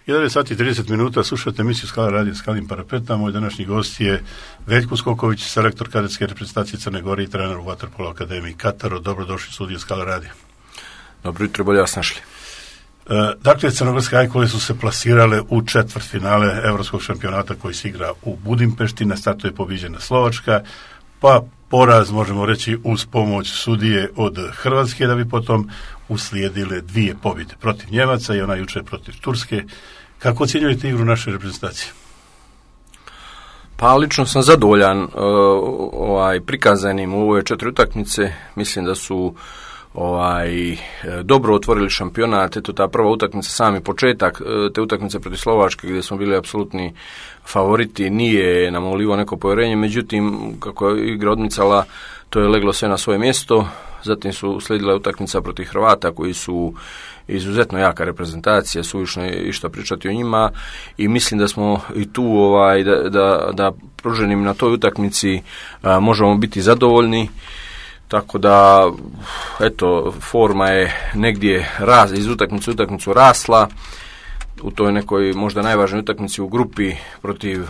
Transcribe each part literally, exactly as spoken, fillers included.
jedanaest sati i trideset minuta, slušate emisiju Skala radio Skalim parapeta. Moj današnji gost je Veljko Skoković, selektor kadetske reprezentacije Crne Gore i trener u Vaterpolo akademiji Kataro. Dobrodošli u studiju Skala radio. Dobro jutro, bolje vas našli. E, dakle, crnogorske ajkule su se plasirale u četvrtfinale evropskog šampionata koji se igra u Budimpešti. Na startu je pobijeđena Slovačka, pa poraz, možemo reći, uz pomoć sudije od Hrvatske, da bi potom uslijedile dvije pobjede protiv Njemaca i ona jučer protiv Turske. Kako ocjenjujete igru naše reprezentacije? Pa lično sam zadovoljan uh, ovaj, prikazanim u ove četiri utakmice. Mislim da su ovaj dobro otvorili šampionat. Eto, ta prva utakmica, sami početak te utakmice protiv Slovačke gdje smo bili apsolutni favoriti, nije nam ulivao neko povjerenje, međutim kako je igra odmicala, to je leglo sve na svoje mjesto. Zatim su slijedila utakmica protiv Hrvata koji su izuzetno jaka reprezentacija, suvišno je išta pričati o njima i mislim da smo i tu ovaj da, da, da pruženim na toj utakmici a, možemo biti zadovoljni. Tako da, eto, forma je negdje raz, iz utakmice u utakmicu rasla. U toj nekoj možda najvažnijoj utakmici u grupi protiv,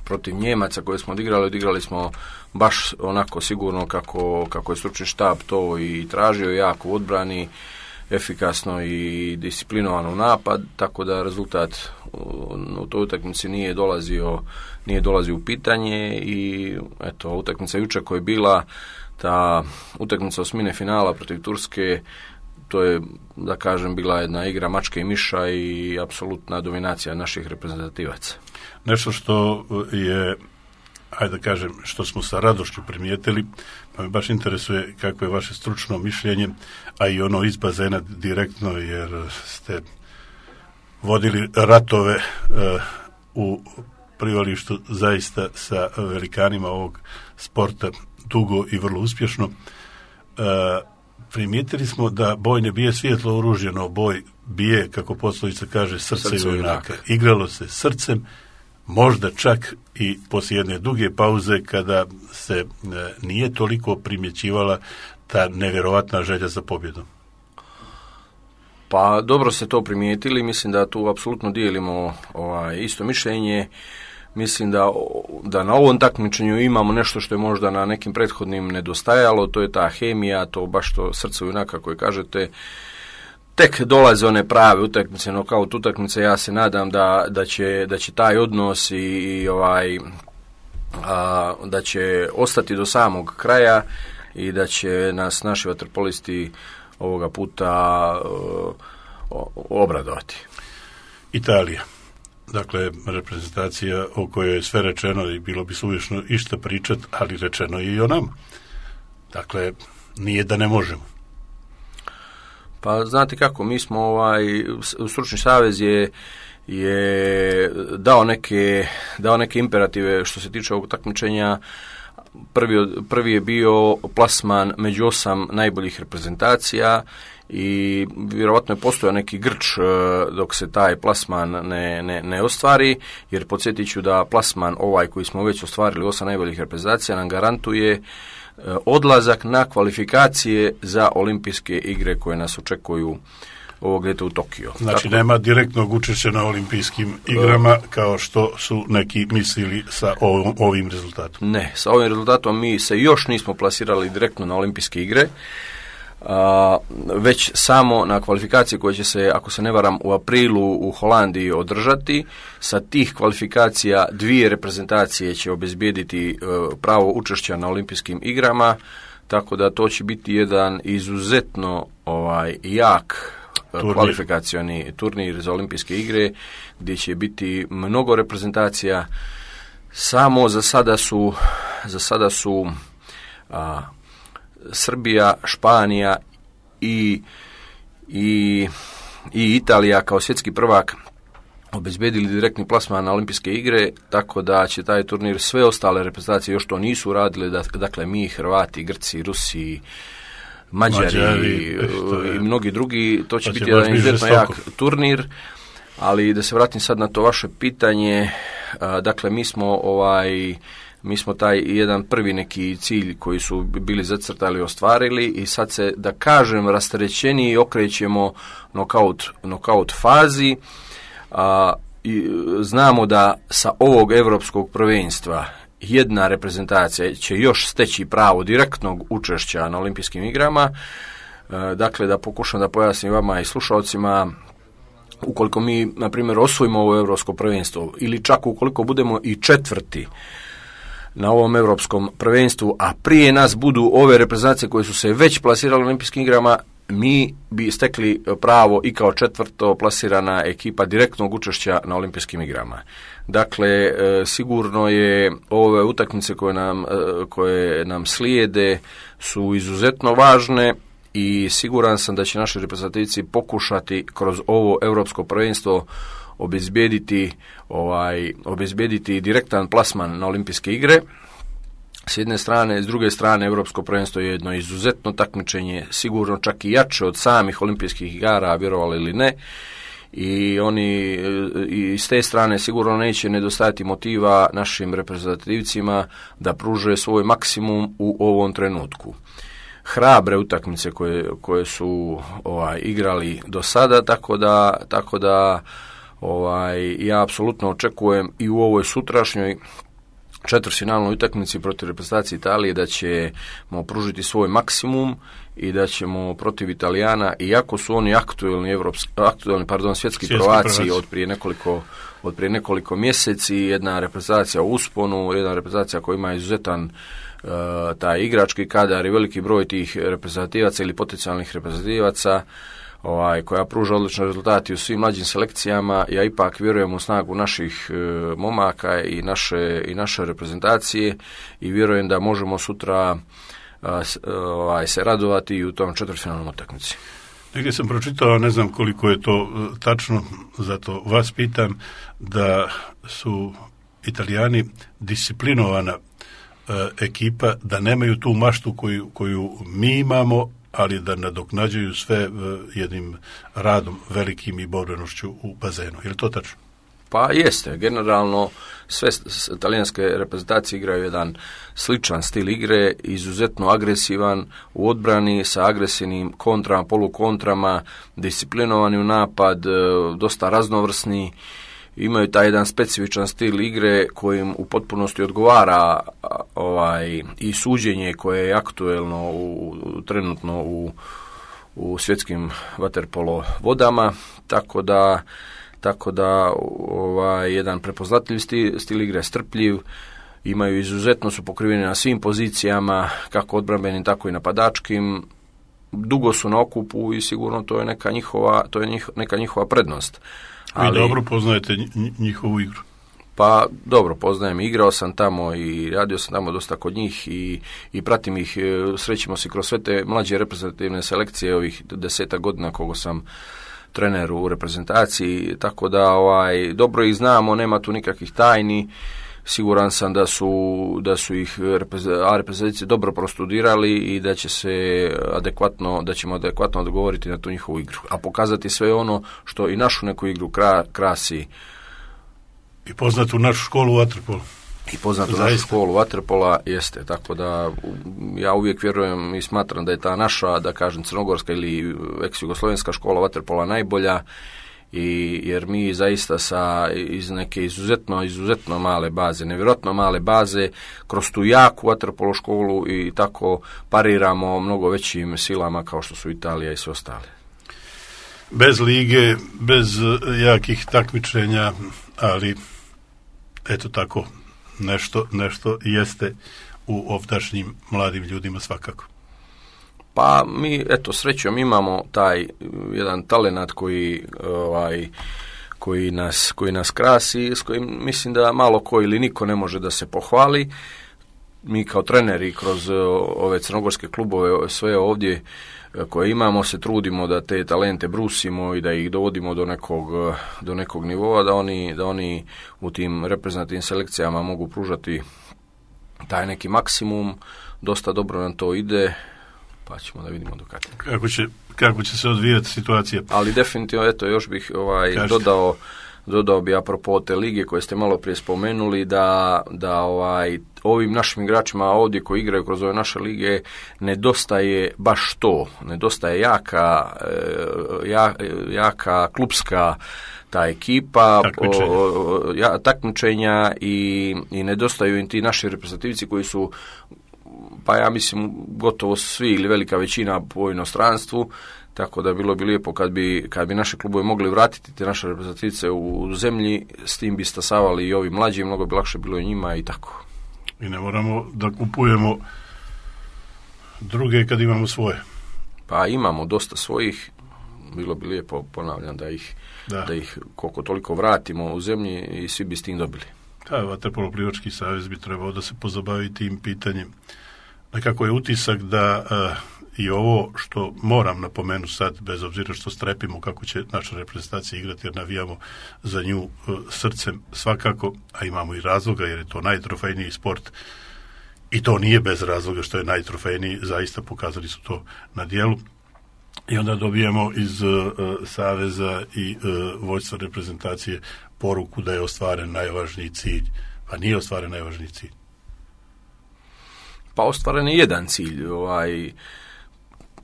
protiv Njemaca koje smo odigrali, odigrali smo baš onako sigurno kako, kako je stručni štab to i tražio, jako u odbrani, efikasno i disciplinovano u napad, tako da rezultat u toj utakmici nije dolazio, nije dolazio u pitanje i eto, utakmica jučer koja je bila, ta utakmica osmine finala protiv Turske, to je, da kažem, bila jedna igra mačke i miša i apsolutna dominacija naših reprezentativaca. Nešto što je, ajde da kažem, što smo sa radošću primijetili, pa me baš interesuje kako je vaše stručno mišljenje, a i ono iz bazena direktno, jer ste vodili ratove uh, u privalištu zaista sa velikanima ovog sporta dugo i vrlo uspješno. Uh, primijetili smo da boj ne bije svjetlo oružje, no boj bije, kako poslovica kaže, srce, srce junaka. Igralo se srcem, možda čak i poslije jedne duge pauze kada se e, nije toliko primjećivala ta nevjerovatna želja za pobjedom. Pa dobro ste to primijetili, mislim da tu apsolutno dijelimo ovaj, isto mišljenje. Mislim da, da na ovom takmičenju imamo nešto što je možda na nekim prethodnim nedostajalo, to je ta hemija, to baš to srce junaka koje kažete. Tek dolaze one prave utakmice, nokaut utakmice, ja se nadam da, da, će, da će taj odnos i, i ovaj, a, da će ostati do samog kraja i da će nas naši vaterpolisti ovoga puta o, o, obradovati. Italija. Dakle, reprezentacija o kojoj je sve rečeno i bilo bi suvišno išta pričat, ali rečeno je i o nama. Dakle, nije da ne možemo. Pa znate kako, mi smo ovaj, stručni savez je, je dao neke, dao neke imperative što se tiče ovog takmičenja. Prvi, prvi je bio plasman među osam najboljih reprezentacija i vjerovatno je postojao neki grč dok se taj plasman ne, ne, ne ostvari, jer podsjetit ću da plasman ovaj koji smo već ostvarili osam najboljih reprezentacija nam garantuje odlazak na kvalifikacije za olimpijske igre koje nas očekuju ovog ljeta u Tokio. Znači Tako, nema direktnog učešća na olimpijskim igrama kao što su neki mislili sa ovim, ovim rezultatom. Ne, sa ovim rezultatom mi se još nismo plasirali direktno na olimpijske igre, a, već samo na kvalifikacije koje će se, ako se ne varam, u aprilu u Holandiji održati. Sa tih kvalifikacija dvije reprezentacije će obezbijediti uh, pravo učešća na olimpijskim igrama, tako da to će biti jedan izuzetno ovaj, jak turnir. Kvalifikacioni turnir za olimpijske igre, gdje će biti mnogo reprezentacija. Samo za sada su, za sada su a, Srbija, Španija i, i, i Italija kao svjetski prvak obezbedili direktni plasman na olimpijske igre, tako da će taj turnir, sve ostale reprezentacije još to nisu uradile, da, dakle mi, Hrvati, Grci, Rusi, Mađari, Mađari i, i mnogi drugi, to će to biti će jedan izuzetno jak turnir. Ali da se vratim sad na to vaše pitanje, a, dakle mi smo ovaj mi smo taj jedan prvi neki cilj koji su bili zacrtali ostvarili i sad se, da kažem, rasterećeniji okrećemo nokaut, nokaut fazi. a, i, znamo da sa ovog europskog prvenstva jedna reprezentacija će još steći pravo direktnog učešća na olimpijskim igrama. E, dakle, da pokušam da pojasnim vama i slušalcima, ukoliko mi, na primjer, osvojimo ovo europsko prvenstvo ili čak ukoliko budemo i četvrti na ovom europskom prvenstvu, a prije nas budu ove reprezentacije koje su se već plasirale u olimpijskim igrama, mi bi stekli pravo i kao četvrto plasirana ekipa direktnog učešća na olimpijskim igrama. Dakle, e, sigurno je ove utakmice koje nam, e, koje nam slijede su izuzetno važne i siguran sam da će naši reprezentativci pokušati kroz ovo europsko prvenstvo obezbijediti, ovaj, obezbijediti direktan plasman na olimpijske igre. S jedne strane, s druge strane, europsko prvenstvo je jedno izuzetno takmičenje, sigurno čak i jače od samih olimpijskih igara, vjerovali ili ne, i oni i s te strane sigurno neće nedostajati motiva našim reprezentativcima da pruže svoj maksimum u ovom trenutku. Hrabre utakmice koje, koje su ovaj, igrali do sada, tako da, tako da ovaj, ja apsolutno očekujem i u ovoj sutrašnjoj četvrtfinalnoj utakmici protiv reprezentacije Italije da ćemo pružiti svoj maksimum i da ćemo protiv Italijana, iako su oni aktuelni evropski, aktuelni, pardon, svjetski, svjetski prvaci od prije nekoliko od prije nekoliko mjeseci, jedna reprezentacija u usponu, jedna reprezentacija koja ima izuzetan uh, taj igrački kadar i veliki broj tih reprezentativaca ili potencijalnih reprezentativaca, ovaj, koja pruža odlične rezultate u svim mlađim selekcijama. Ja ipak vjerujem u snagu naših e, momaka i naše, i naše reprezentacije i vjerujem da možemo sutra a, s, ovaj, se radovati i u tom četvrtfinalnom utakmici. Negdje sam pročitao, ne znam koliko je to e, tačno, zato vas pitam, da su Italijani disciplinovana e, ekipa, da nemaju tu maštu koju, koju mi imamo, ali da nadoknađuju sve jednim radom velikim i borbenošću u bazenu. Je li to tačno? Pa jeste. Generalno sve talijanske reprezentacije igraju jedan sličan stil igre, izuzetno agresivan u odbrani sa agresivnim kontrama, polukontrama, disciplinovani u napad, dosta raznovrsni. Imaju taj jedan specifičan stil igre kojim u potpunosti odgovara ovaj, i suđenje koje je aktuelno u, trenutno u, u svjetskim vaterpolo vodama, tako da, tako da ovaj, jedan prepoznatljiv stil, stil igre, strpljiv, imaju izuzetno, su pokriveni na svim pozicijama, kako odbrambenim, tako i napadačkim, dugo su na okupu i sigurno to je neka njihova, to je njih, neka njihova prednost. Vi dobro poznajete njihovu igru? Pa dobro poznajem, igrao sam tamo i radio sam tamo dosta kod njih i, i pratim ih, srećimo se kroz sve te mlađe reprezentativne selekcije ovih desetak godina koliko sam trener u reprezentaciji, tako da ovaj, dobro ih znamo, nema tu nikakvih tajni. Siguran sam da su, da su ih reprezentacije dobro prostudirali i da će se adekvatno, da ćemo adekvatno odgovoriti na tu njihovu igru, a pokazati sve ono što i našu neku igru kra, krasi. I poznatu našu školu vaterpola. I poznatu Zaista. našu školu vaterpola jeste, tako da ja uvijek vjerujem i smatram da je ta naša, da kažem, crnogorska ili ex-jugoslovenska škola vaterpola najbolja. I jer mi zaista sa iz neke izuzetno, izuzetno male baze, nevjerojatno male baze, kroz tu jaku vaterpolo školu i tako pariramo mnogo većim silama kao što su Italija i sve ostale. Bez lige, bez jakih takmičenja, ali eto tako, nešto, nešto jeste u ovdašnjim mladim ljudima svakako. Pa mi, eto, srećom imamo taj jedan talenat koji, ovaj, koji, nas, koji nas krasi, s kojim mislim da malo ko ili niko ne može da se pohvali. Mi kao treneri kroz ove crnogorske klubove, sve ovdje koje imamo, se trudimo da te talente brusimo i da ih dovodimo do nekog, do nekog nivoa, da oni, da oni u tim reprezentativnim selekcijama mogu pružati taj neki maksimum. Dosta dobro nam to ide, pa ćemo da vidimo do kada. Kako će, kako će se odvijati situacija? Ali definitivno, eto, još bih ovaj, dodao dodao bi apropo te lige koje ste malo prije spomenuli, da, da ovaj, ovim našim igračima ovdje koji igraju kroz ove naše lige nedostaje baš to, nedostaje jaka, ja, jaka klupska ta ekipa, takmičenja, o, ja, takmičenja i, i nedostaju im ti naši reprezentativci koji su, pa ja mislim gotovo svi ili velika većina po inostranstvu, tako da bilo bi lijepo kad bi, kad bi naše klubove mogli vratiti te naše reprezentativce u zemlji, s tim bi stasavali i ovi mlađi, mnogo bi lakše bilo i njima i tako. I ne moramo da kupujemo druge kad imamo svoje. Pa imamo dosta svojih, bilo bi lijepo, ponavljam, da ih, da. da ih koliko toliko vratimo u zemlji i svi bi s tim dobili. Da, Vaterpolo plivački savez bi trebao da se pozabavi tim pitanjem. Nekako je utisak da uh, i ovo što moram napomenuti sad, bez obzira što strepimo kako će naša reprezentacija igrati, jer navijamo za nju uh, srcem svakako, a imamo i razloga jer je to najtrofejniji sport i to nije bez razloga što je najtrofejniji, zaista pokazali su to na dijelu. I onda dobijemo iz uh, saveza i uh, vođstva reprezentacije poruku da je ostvaren najvažniji cilj. Pa nije ostvaren najvažniji cilj. Pa ostvaren je jedan cilj, ovaj,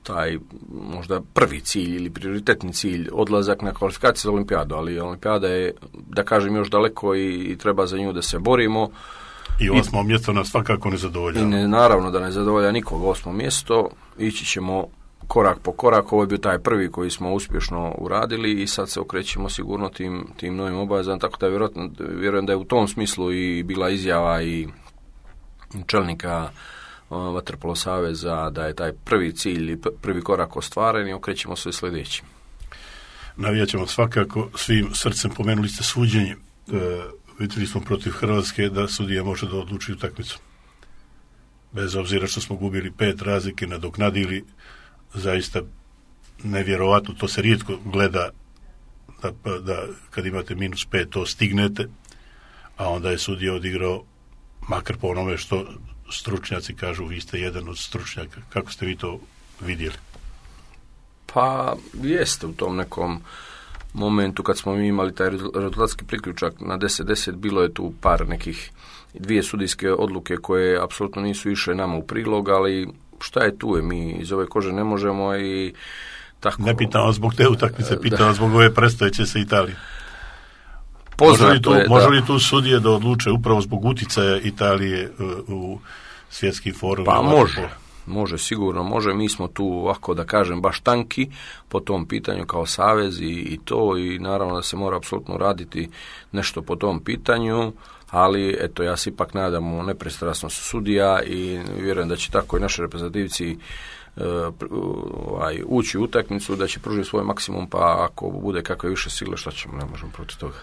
taj možda prvi cilj ili prioritetni cilj, odlazak na kvalifikacije za olimpijadu, ali olimpijada je, da kažem, još daleko i, i treba za nju da se borimo. I osmo I, mjesto nas svakako ne zadovolja. I ne, naravno da ne zadovolja nikog osmo mjesto, ići ćemo korak po korak, ovo je bio taj prvi koji smo uspješno uradili i sad se okrećemo sigurno tim, tim novim obavezama, tako da vjerojatno, vjerujem da je u tom smislu i bila izjava i čelnika Vaterpolo saveza da je taj prvi cilj i prvi korak ostvaren i okrećemo se sljedećim. Navijat ćemo svakako svim srcem, pomenuli ste suđenje. E, vidjeli smo protiv Hrvatske da sudija može da odluči utakmicu. Bez obzira što smo gubili pet razlike, nadoknadili, zaista nevjerovatno, to se rijetko gleda da, da kad imate minus pet to stignete, a onda je sudija odigrao, makar po onome što stručnjaci kažu, vi ste jedan od stručnjaka. Kako ste vi to vidjeli? Pa jeste u tom nekom momentu kad smo mi imali taj rezultatski priključak na deset deset, bilo je tu par nekih dvije sudijske odluke koje apsolutno nisu išle nama u prilog, ali šta je tu je, mi iz ove kože ne možemo i tako. Ne pitam vas zbog te utakmice, pitam vas zbog ove predstojeće sa Italijom. Poznato može li tu, je, može da. li tu sudije da odluče upravo zbog uticaja Italije u, u svjetski forum? Pa može, može, sigurno može. Mi smo tu, ovako da kažem, baš tanki po tom pitanju kao savez i, i to, i naravno da se mora apsolutno raditi nešto po tom pitanju, ali eto, ja se ipak nadam u nepristrasnost sudija i vjerujem da će tako i naši reprezentativci uh, ovaj, ući u utakmicu, da će pružiti svoj maksimum, pa ako bude kakve više sile, šta ćemo, ne možemo protiv toga.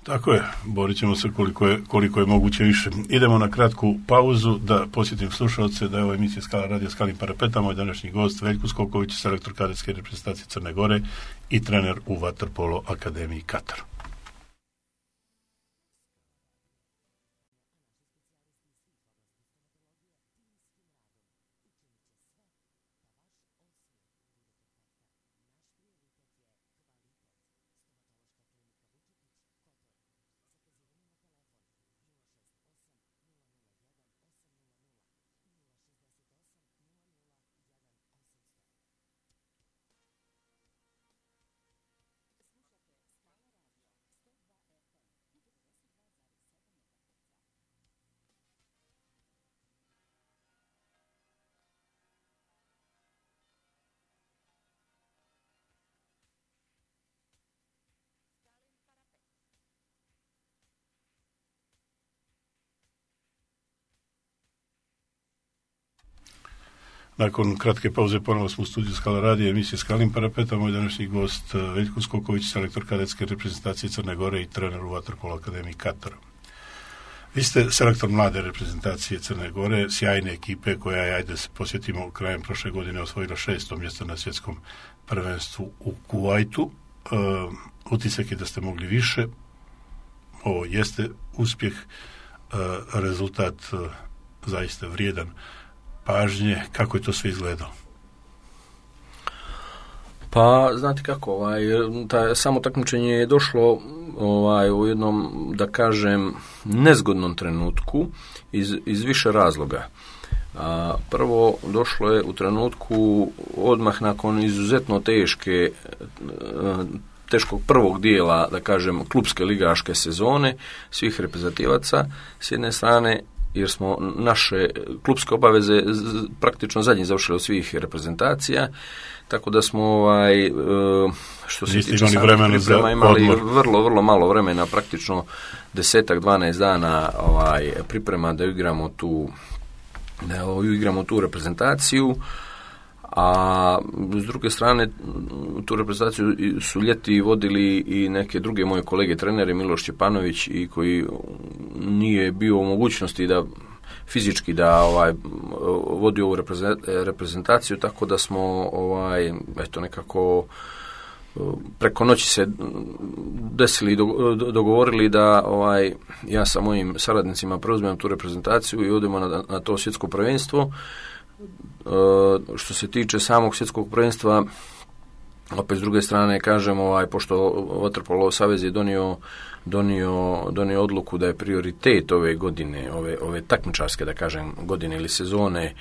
Tako je, borit ćemo se koliko je, koliko je moguće više. Idemo na kratku pauzu da posjetim slušalce da je ovo emisija Skala radio Skalim Parapeta, moj današnji gost Veljko Skoković, selektor kadetske reprezentacije Crne Gore i trener u Vaterpolo akademiji Katar. Nakon kratke pauze ponovo smo u studiju Skala radija, emisije Skalim Parapeta, moj današnji gost Veljko Skoković, selektor kadetske reprezentacije Crne Gore i trener u Vaterpolo akademiji Katar. Vi ste selektor mlade reprezentacije Crne Gore, sjajne ekipe koja je, ajde se posjetimo, krajem prošle godine osvojila šesto mjesto na svjetskom prvenstvu u Kuvajtu. Uh, utisak je da ste mogli više. Ovo jeste uspjeh, uh, rezultat uh, zaista vrijedan pažnje. Kako je to sve izgledalo? Pa, znate kako, ovaj, ta, samo takmičenje je došlo ovaj, u jednom, da kažem, nezgodnom trenutku iz, iz više razloga. A, prvo, došlo je u trenutku odmah nakon izuzetno teške, teškog prvog dijela, da kažem, klupske ligaške sezone svih reprezentativaca s jedne strane, jer smo naše klupske obaveze praktično zadnji završili od svih reprezentacija, tako da smo ovaj, što se tiče samih priprema imali vrlo, vrlo malo vremena, praktično desetak, dvanaest dana ovaj, priprema da igramo tu da igramo tu reprezentaciju, a s druge strane tu reprezentaciju su ljeti vodili i neke druge moje kolege trenere, Miloš Čepanović, i koji nije bio u mogućnosti da fizički da ovaj vodi ovu reprezentaciju, tako da smo ovaj eto nekako preko noći se desili i dogovorili da ovaj ja sa mojim saradnicima preuzmem tu reprezentaciju i odemo na, na to svjetsko prvenstvo. Uh, što se tiče samog svjetskog prvenstva, opet s druge strane kažem, ovaj, pošto Vaterpolo savez je donio, donio, donio odluku da je prioritet ove godine, ove, ove takmičarske, da kažem, godine ili sezone,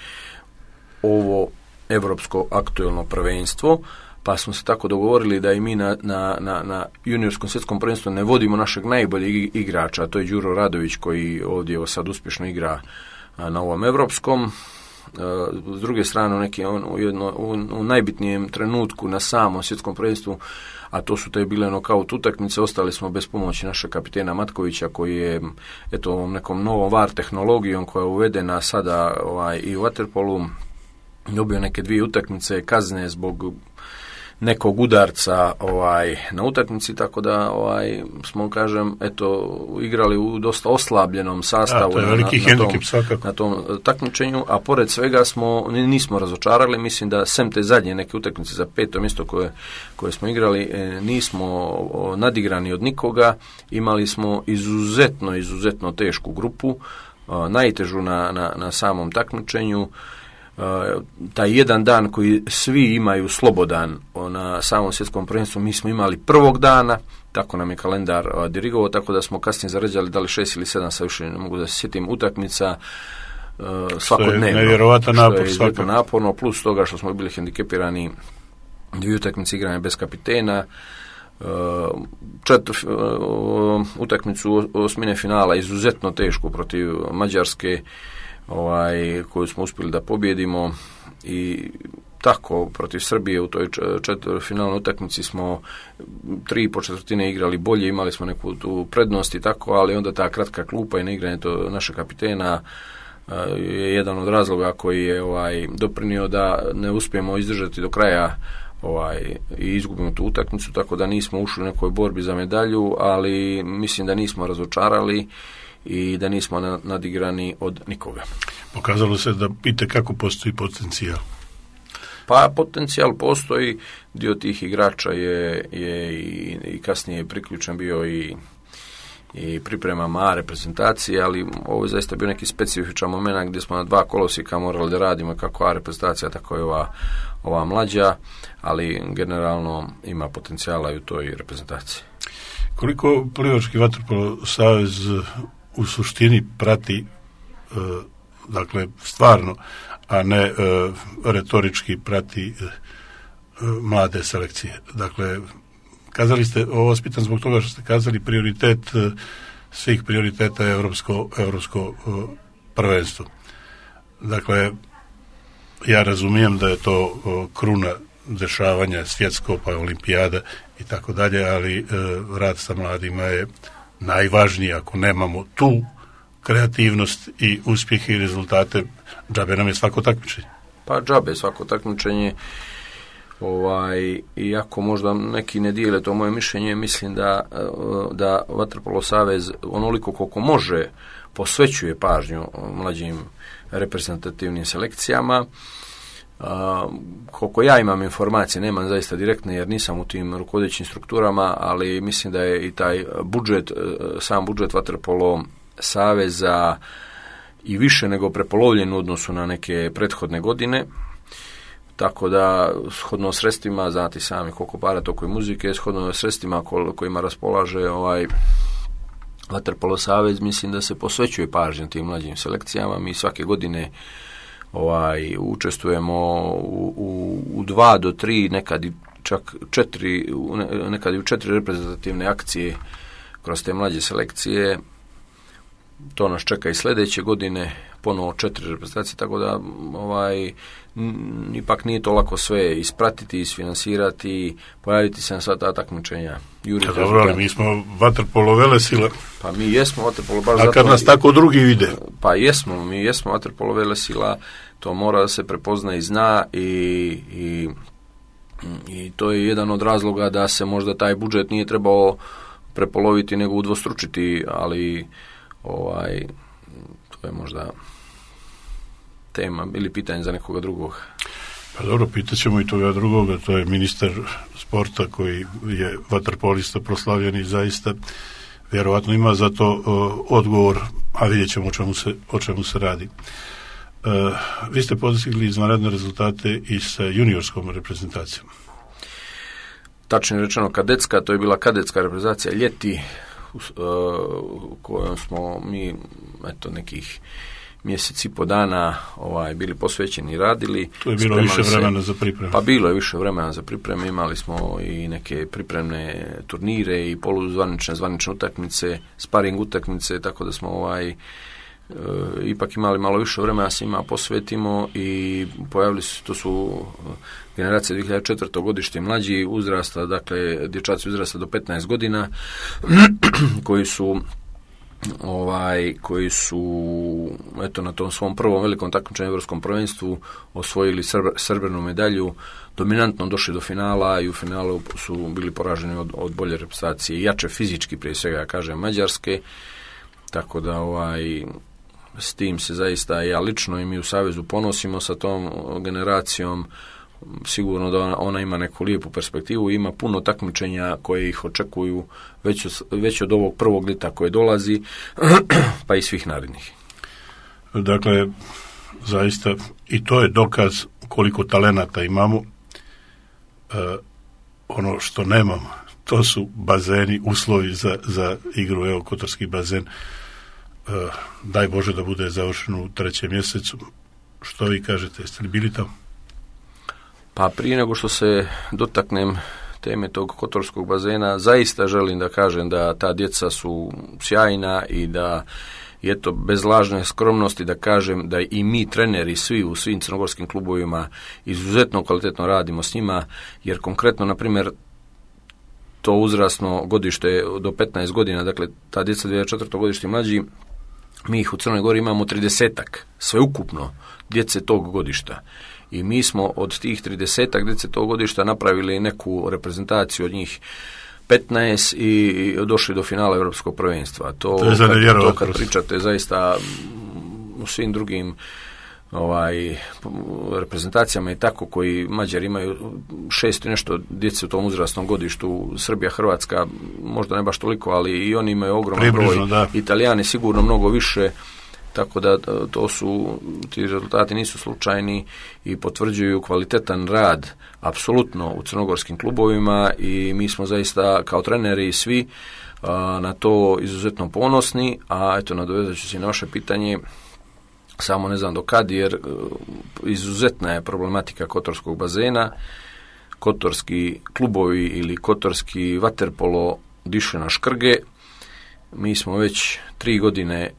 ovo evropsko aktuelno prvenstvo, pa smo se tako dogovorili da i mi na, na, na, na juniorskom svjetskom prvenstvu ne vodimo našeg najboljeg igrača, a to je Đuro Radović, koji ovdje sad uspješno igra na ovom evropskom. S druge strane, u, neki, u, jedno, u, u najbitnijem trenutku na samom svjetskom prvenstvu, a to su te bile nokaut utakmice, ostali smo bez pomoći našeg kapitena Matkovića, koji je eto ovom nekom novom V A R tehnologijom koja je uvedena sada ovaj, i u vaterpolu, dobio neke dvije utakmice kazne zbog nekog udarca ovaj na utakmici, tako da ovaj smo, kažem, eto igrali u dosta oslabljenom sastavu. A, to je veliki na, na, hendikep svakako. Na tom takmičenju, a pored svega smo nismo razočarali, mislim da sem te zadnje neke utakmice za peto mjesto koje, koje smo igrali, nismo nadigrani od nikoga, imali smo izuzetno, izuzetno tešku grupu, najtežu na, na, na samom takmičenju. Uh, taj jedan dan koji svi imaju slobodan na samom svjetskom prvenstvu, mi smo imali prvog dana, tako nam je kalendar uh, dirigovao, tako da smo kasnije zarađali da li šest ili sedam, sa više ne mogu da se sjetim, utakmica uh, svakodnevno. Što je nevjerovatan napor, što je svakako naporno, plus toga što smo bili hendikepirani dvije utakmice igranja bez kapitena, uh, četiri uh, utakmicu osmine finala izuzetno tešku protiv Mađarske, ovaj, koju smo uspjeli da pobjedimo, i tako protiv Srbije u toj četvrtfinalnoj utakmici smo tri i po četvrtine igrali bolje, imali smo neku tu prednost i tako, ali onda ta kratka klupa i neigranje to naše kapitena je jedan od razloga koji je ovaj doprinio da ne uspijemo izdržati do kraja ovaj i izgubimo tu utakmicu, tako da nismo ušli u nekoj borbi za medalju, ali mislim da nismo razočarali i da nismo nadigrani od nikoga. Pokazalo se da itekako postoji potencijal. Pa potencijal postoji, dio tih igrača je, je i, i kasnije priključen bio i, i pripremama A reprezentacije, ali ovo je zaista bio neki specifičan moment gdje smo na dva kolosijeka morali da radimo, kako A reprezentacija, tako i ova, ova mlađa, ali generalno ima potencijala i u toj reprezentaciji. Koliko Plivački vaterpolo savez u suštini prati, e, dakle stvarno, a ne e, retorički prati e, mlade selekcije? Dakle, kazali ste, ovo vas pitam zbog toga što ste kazali prioritet e, svih prioriteta je evropsko, evropsko e, prvenstvo. Dakle, ja razumijem da je to e, kruna dešavanja svjetsko, pa olimpijada i tako dalje, ali e, rad sa mladima je najvažnije. Ako nemamo tu kreativnost i uspjehe i rezultate, džabe nam je svako takmičenje. Pa džabe svako takmičenje, ovaj, iako možda neki ne dijele to moje mišljenje, mislim da, da Vaterpolo savez onoliko koliko može posvećuje pažnju mlađim reprezentativnim selekcijama. Uh, koliko ja imam informacije, nemam zaista direktne jer nisam u tim rukovodećim strukturama, ali mislim da je i taj budžet, sam budžet Vaterpolo saveza i više nego prepolovljen u odnosu na neke prethodne godine. tako da shodno sredstvima, znate sami koliko para toliko i muzike, shodno sredstvima kojima raspolaže ovaj Vaterpolo savez, mislim da se posvećuje pažnju tim mlađim selekcijama. Mi svake godine ovaj učestvujemo u, u, u dva do tri, nekad i čak četiri, nekad i u četiri reprezentativne akcije kroz te mlađe selekcije. To nas čeka i sljedeće godine, ponovo četiri reprezentacije, tako da ovaj, n, ipak nije to lako sve ispratiti, isfinansirati, pojaviti se na sva ta takmičenja. Ja, dobro, ali mi smo vaterpolo velesila. Pa mi jesmo vaterpolo, baš a zato... A kad nas tako drugi vide? Pa jesmo, mi jesmo vaterpolo velesila, to mora da se prepozna i zna i... i I to je jedan od razloga da se možda taj budžet nije trebao prepoloviti nego udvostručiti, ali ovaj, to je možda tema ili pitanje za nekoga drugog. Pa dobro, pitat ćemo i toga drugoga, to je ministar sporta koji je vaterpolista proslavljen i zaista vjerovatno ima za to uh, odgovor, a vidjet ćemo o čemu se, o čemu se radi. Uh, vi ste postigli izvanredne rezultate i sa juniorskom reprezentacijom. Tačno rečeno kadetska, to je bila kadetska reprezentacija ljeti u, uh, u kojom smo mi eto nekih mjesec i po dana ovaj, bili posvećeni i radili. To je bilo više vremena za pripreme. Pa bilo je više vremena za pripreme, imali smo i neke pripremne turnire i poluzvanične, zvanične utakmice, sparing utakmice, tako da smo ovaj e, ipak imali malo više vremena se ima posvetimo i pojavili su, to su generacije dvije hiljade četvrte godište mlađi uzrasta, dakle dječaci uzrasta do petnaest godina koji su ovaj koji su eto na tom svom prvom velikom takmičenju europskom prvenstvu osvojili srb, srebrnu medalju, dominantno došli do finala i u finalu su bili poraženi od, od bolje reprezentacije, jače fizički prije svega ja kažem Mađarske, tako da ovaj s tim se zaista ja lično i mi u Savezu ponosimo sa tom generacijom. Sigurno da ona, ona ima neku lijepu perspektivu, ima puno takmičenja koje ih očekuju već, već od ovog prvog lita koje dolazi, pa i svih narednih. Dakle, zaista i to je dokaz koliko talenata imamo. E, ono što nemamo, to su bazeni, uslovi za, za igru, evo Kotorski bazen. E, daj Bože da bude završeno u trećem mjesecu. Što vi kažete, jeste li bili tamo? Pa prije nego što se dotaknem teme tog kotorskog bazena, zaista želim da kažem da ta djeca su sjajna i da je to bez lažne skromnosti da kažem da i mi treneri svi u svim crnogorskim klubovima izuzetno kvalitetno radimo s njima, jer konkretno, na primjer, to uzrasno godište do petnaest godina, dakle ta djeca dvije hiljade četvrte godište mlađi, mi ih u Crnoj Gori imamo tridesetak, sveukupno djece tog godišta. I mi smo od tih tridesetak djece tog godišta napravili neku reprezentaciju od njih petnaest i došli do finala europskog prvenstva. To, to, je kad, to kad pričate zaista u svim drugim ovaj, reprezentacijama i tako koji Mađari imaju šest i nešto djece u tom uzrasnom godištu, Srbija, Hrvatska možda ne baš toliko, ali i oni imaju ogroman broj, da. Italijani sigurno mnogo više. Tako da to su, ti rezultati nisu slučajni i potvrđuju kvalitetan rad apsolutno u crnogorskim klubovima i mi smo zaista kao treneri svi a, na to izuzetno ponosni, a eto nadovezat ću se na vaše pitanje, samo ne znam do kad, jer izuzetna je problematika kotorskog bazena, kotorski klubovi ili kotorski vaterpolo diše na škrge, mi smo već tri godine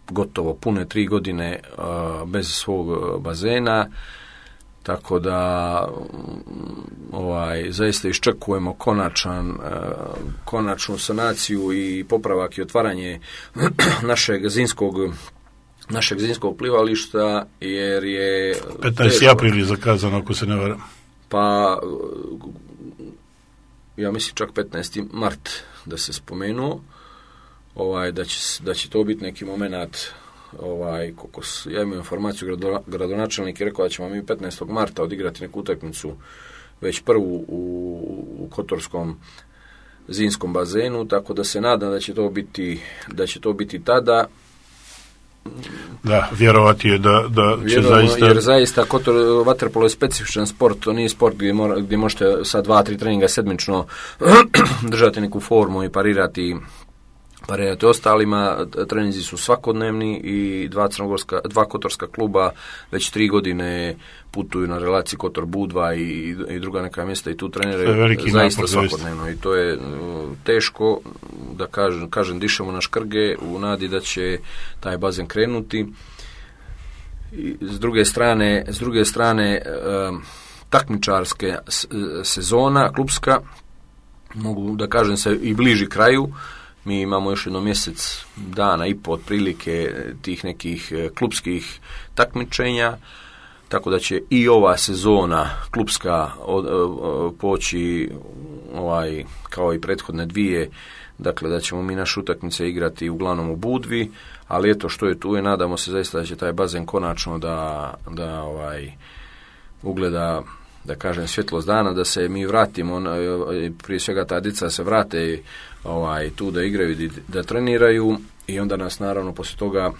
gotovo pune tri godine uh, bez svog bazena, tako da ovaj zaista iščekujemo konačan, uh, konačnu sanaciju i popravak i otvaranje našeg zimskog našeg zimskog plivališta, jer je petnaesti april je zakazano, ako se ne varam. Pa ja mislim čak petnaesti mart da se spomenuo. Ovaj, da, će, da će to biti neki moment, ovaj, koliko ja imam informaciju, grado, gradonačelnik je rekao da ćemo mi petnaestog marta odigrati neku utakmicu već prvu u, u kotorskom zimskom bazenu, tako da se nadam da će to biti, da će to biti tada. Da, vjerovati je da, da će Vjerovno, zaista... Jer zaista Kotor, vaterpolo je specifičan sport, to nije sport gdje, mora, gdje možete sa dva, tri treninga sedmično držati neku formu i parirati parirati ostalima. Treninzi su svakodnevni i dva, crnogorska, dva kotorska kluba već tri godine putuju na relaciji Kotor-Budva i, i druga neka mjesta i tu treniraju zaista svakodnevno. I to je teško, da kažem, kažem dišemo na škrge u nadi da će taj bazen krenuti. I s druge strane, s druge strane um, takmičarske sezona, klubska, mogu da kažem se i bliži kraju. Mi imamo još jedno mjesec dana i po otprilike tih nekih klubskih takmičenja, tako da će i ova sezona klubska od, od, poći ovaj, kao i prethodne dvije, dakle da ćemo mi naše utakmice igrati uglavnom u Budvi, ali eto što je tu je, nadamo se zaista da će taj bazen konačno da, da ovaj, ugleda, da kažem, svjetlost dana, da se mi vratimo, prije svega ta djeca se vrate ovaj, tu da igraju, da treniraju i onda nas naravno poslije toga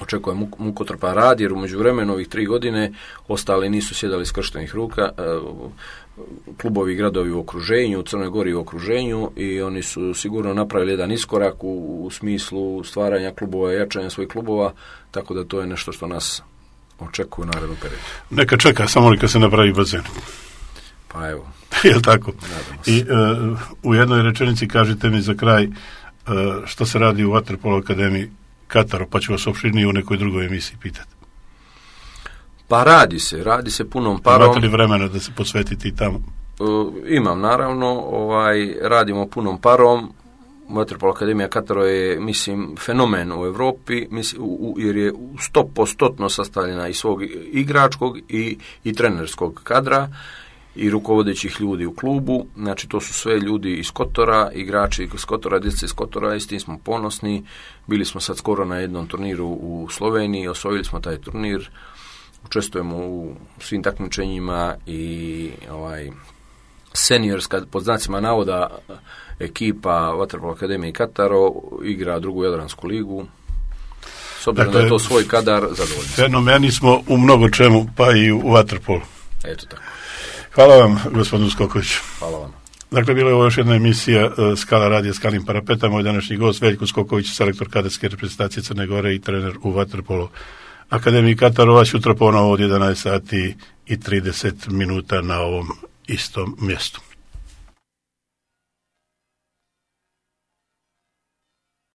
očekuje mukotrpan rad, jer u međuvremenu ovih tri godine ostali nisu sjedali skrštenih ruka, klubovi i gradovi u okruženju, u Crnoj Gori u okruženju i oni su sigurno napravili jedan iskorak u, u smislu stvaranja klubova i jačanja svojih klubova, tako da to je nešto što nas očekuju u narednom periodu. Neka čeka, samo neka se napravi bazen. Pa evo. Jel tako? I uh, u jednoj rečenici kažite mi za kraj uh, što se radi u Vaterpolo akademiji Kataru, pa ću vas opširnije u nekoj drugoj emisiji pitati. Pa radi se, radi se punom parom. Imate li vremena da se posvetite i tamo? Uh, imam, naravno, ovaj, radimo punom parom. Vaterpolo akademija Kataro je, mislim, fenomen u Europi, mislim, u, u, jer je sto posto sastavljena iz svog igračkog i, i trenerskog kadra i rukovodećih ljudi u klubu. Znači, to su sve ljudi iz Kotora, igrači iz Kotora, djeca iz Kotora, i s tim smo ponosni. Bili smo sad skoro na jednom turniru u Sloveniji, osvojili smo taj turnir, učestvujemo u svim takmičenjima i ovaj seniorska, pod znacima navoda, ekipa Vaterpolo akademije Kataro igra drugu Jadransku ligu. S obzirom dakle, da je to svoj kadar, zadovoljni. Fenomeni smo u mnogo čemu, pa i u vaterpolu. Eto tako. Hvala vam, gospodinu Skokoviću. Hvala vam. Dakle, bila je ovo još jedna emisija uh, Skala radija Skalim parapeta. Moj današnji gost Veljko Skoković, selektor kadetske reprezentacije Crne Gore i trener u Vaterpolo akademiji Kataro. Sutra ponovo od jedanaest sati i trideset minuta na ovom istom mjestu.